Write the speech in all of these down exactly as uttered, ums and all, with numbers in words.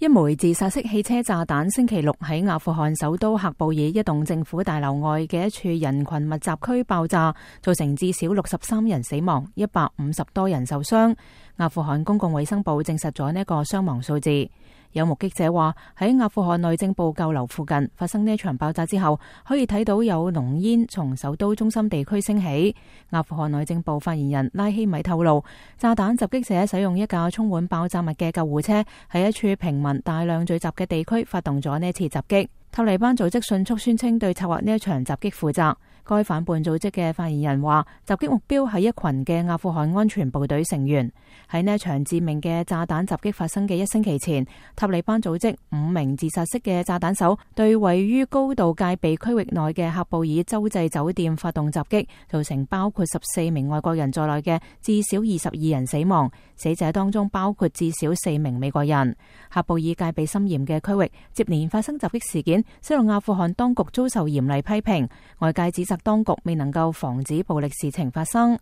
一枚自殺式汽車炸彈星期六喺阿富汗首都喀布爾一棟政府大樓外嘅一處人群密集區爆炸，造成至少六十三人死亡，一百五十多人受傷。阿富汗公共衛生部證實咗呢個傷亡數字。有目擊者話喺阿富汗內政部舊樓附近發生呢場爆炸之後，可以睇到有濃煙從首都中心地區升起。阿富汗內政部發言人拉希米透露，炸彈襲擊者使用一架充滿爆炸物嘅救護車，喺一處平民大量聚集嘅地區發動咗呢次襲擊。塔利班組織迅速宣稱對策劃呢一場襲擊負責。該反叛組織嘅發言人話，襲擊目標係一群嘅阿富汗安全部隊成員。喺呢一場致命嘅炸彈襲擊發生嘅一星期前，塔利班組織五名自殺式嘅炸彈手對位於高度戒備區域內嘅喀布爾洲際酒店發動襲擊，造成包括十四名外國人在內嘅至少二十二人死亡，死者當中包括至少四名美國人。喀布爾戒備森嚴嘅區域接連發生襲擊事件，使到阿富汗當局遭受嚴厲批評，外界指責當局未能夠防止暴力事情發生。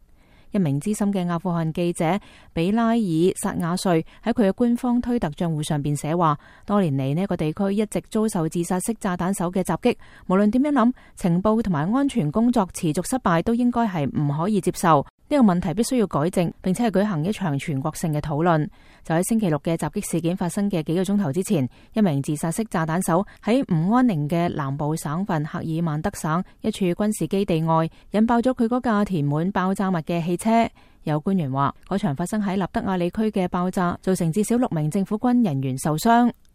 一名資深嘅阿富汗記者比拉爾薩亞瑞喺佢嘅官方推特賬戶上邊寫話，多年嚟呢個地區一直遭受自殺式炸彈手嘅襲擊，無論點樣諗，情報同埋安全工作持續失敗都應該係唔可以接受。呢個問題必須要改正，並且係舉行一場全國性嘅討論。就喺星期六嘅襲擊事件發生嘅幾個鐘頭之前，一名自殺式炸彈手喺唔安寧嘅南部省份赫爾曼德省一處軍事基地外引爆咗佢嗰架填滿爆炸物嘅汽車。有官員話，嗰場發生喺納德亞里區嘅爆炸造成至少六名政府軍人員受傷。